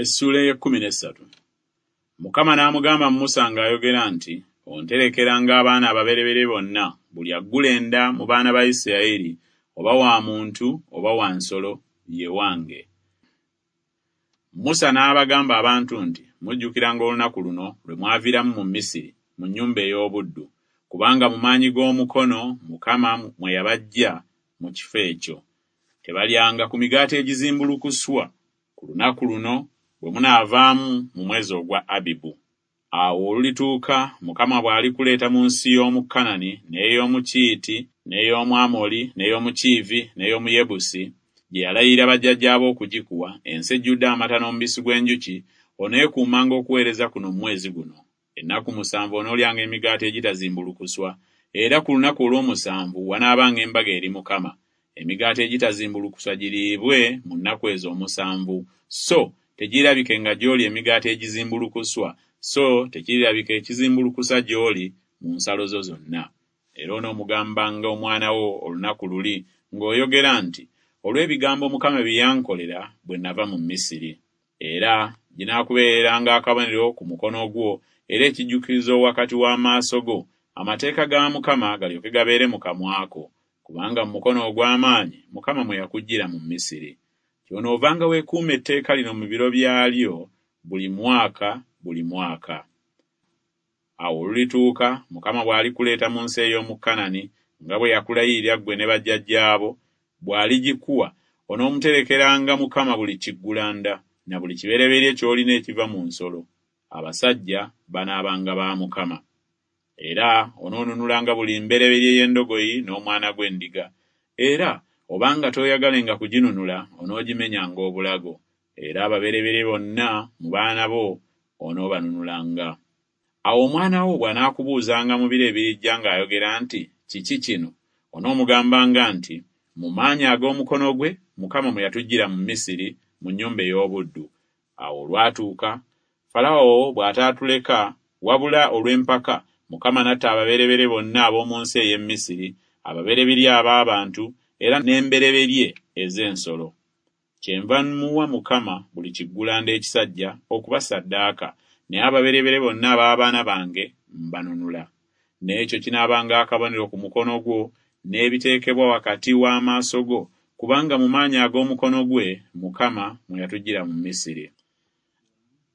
Essuula ey'ekkumi n'essatu. Mukama n'amugamba Musa ng'ayogera nti, Onterekeranga abaana ababereberye bonna, buli aggula enda mu baana ba Isirayiri, oba wa muntu oba wa nsolo, ye wange. Musa n'abagamba abantu nti, Mujjukiranga olunaku luno lwe mwaviiramu mu Misiri, mu nnyumba ey'obuddu, kubanga mu maanyi g'omukono Mukama mwe yabaggya mu kifo ekyo. Tebalyanga ku migaati egizimbulukuswa ku lunaku luno bwe munaavaamu mu mwezi ogwa Abibu. Awo olulituuka Mukama bw'alikuleeta mu nsi y'omu Kanani, n'ey'omu Kiiti, n'ey'omu Amoli, n'ey'omu Kiivi, n'ey'omu Yebusi, gye yalayirira bajjajjaabo okugikuwa, ensi ejjudde amata n'omubisi gw'enjuki, oneekuumanga okuweereza kuno mu mwezi guno. Ennaku musanvu onoolyanga emigaati egitazimbulukuswa, era ku lunaku olw'omusanvu wanaabanga embaga eri Mukama. Emigaati egitazimbulukuswa giriibwe mu nnaku ezo omusanvu, so tegiirabikenga gy'oli emigaati egizimbulukuswa, so tekirirabika ekizimbulukusa gy'oli mu nsalo zo zonna. Era onoomugambanga omwana wo olunaku luli ng'oyogera nti, Olw'ebigambo Mukama bye yankolera bwe nava mu Misiri. Era ginaakubeereranga akabonero ku mukono gwo era ekijjukizo wakati w'amaaso go, amateeka ga Mukama galyoke gabeere mu kamwa ko, kubanga mu mukono ogw'amaanyi Mukama mwe yakuggyira mu Misiri. Kyonoovanga weekuuma etteeka lino mu biro byalyo buli mwaka buli mwaka. Awo olulituuka, Mukama bw'alikuleeta mu nsi ey'omu Kanani, nga bwe yakulayirira ggwe ne bajjajjaabo, bw'aligikuwa, onoomuterekeranga Mukama buli kiggulanda, na buli kibereberye ky'olina ekiva mu nsolo. Abasajja banaabanga ba Mukama. Era onoonunulanga buli mbereberye y'endogoyi n'omwana gw'endiga. Era obanga tooyagalenga kuginunula, onoogimenyanga obulago. Era ababereberye bonna mu baana bo onoobanunulanga. Awo omwana wo bw'anaakubuuzanga mu biro ebirijja ng'ayogera nti, Kiki kino? Onoomugambanga nti, Mu maanyi ag'omukono gwe Mukama mwe yatuggyira mu Misiri, mu nnyumba ey'obuddu. Awo olwatuuka, Falaawo bw'ataatuleka, wabula olw'empaka, Mukama n'atta ababereberye bonna ab'omu nsi ey'e Misiri, ababereberye ab'abantu era n'embereberye ez'ensolo. Kyenva mmuwa Mukama buli kiggulanda ekisajja okuba ssaddaaka, naye ababereberye bonna ab'abaana bange mbanunula. N'ekyo kinaabanga akabonero ku mukono gwo, n'ebiteekebwa wakati w'amaaso go, kubanga mu maanyi ag'omukono gwe Mukama mwe yatuggyira mu Misiri.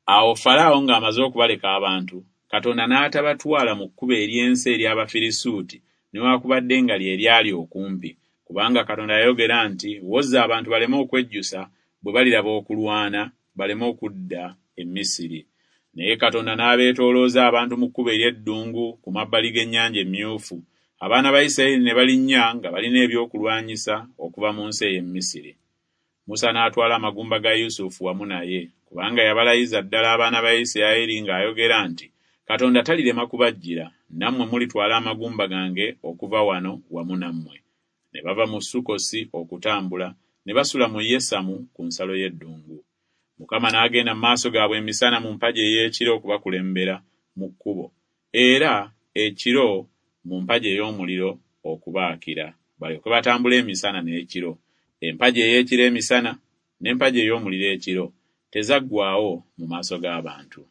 Awo Falaawo ng'amaze okubaleka abantu, Katonda n'atabatwala mu kkubo ery'ensi ery'Abafirisuuti, newakubadde nga lye lyali okumpi, kubanga Katonda yayogera nti, Woza abantu baleme okwejjusa bwe baliraba okulwana, baleme okudda e Misiri. Naye Katonda n'abeetoolooza abantu mu kkubo ery'eddungu ku mabbali g'Ennyanja Emmyufu, abaana ba Isirayiri ne balinnya nga balina ebyokulwanyisa okuva mu nsi ey'e Misiri. Musa n'atwala amagumba ga Yusufu wamu naye, kubanga yabalayiza ddala abaana ba Isirayiri ng'ayogera nti, Katonda talirema kubajjira, nammwe mulitwala amagumba gange okuva wano wamu nammwe. Ne bava mu Sukkosi okutambula, ne basula mu Yesamu ku nsalo y'eddungu. Mukama n'agenda mu maaso gaabwe emisana mu mpagi ey'ekire okubakulembera mu kkubo, era ekiro mu mpagi ey'omuliro okubaakira, balyoke batambule emisana n'ekiro. Empagi ey'ekire emisana, n'empagi ey'omuliro ekiro, tezaggwaawo mu maaso g'abantu.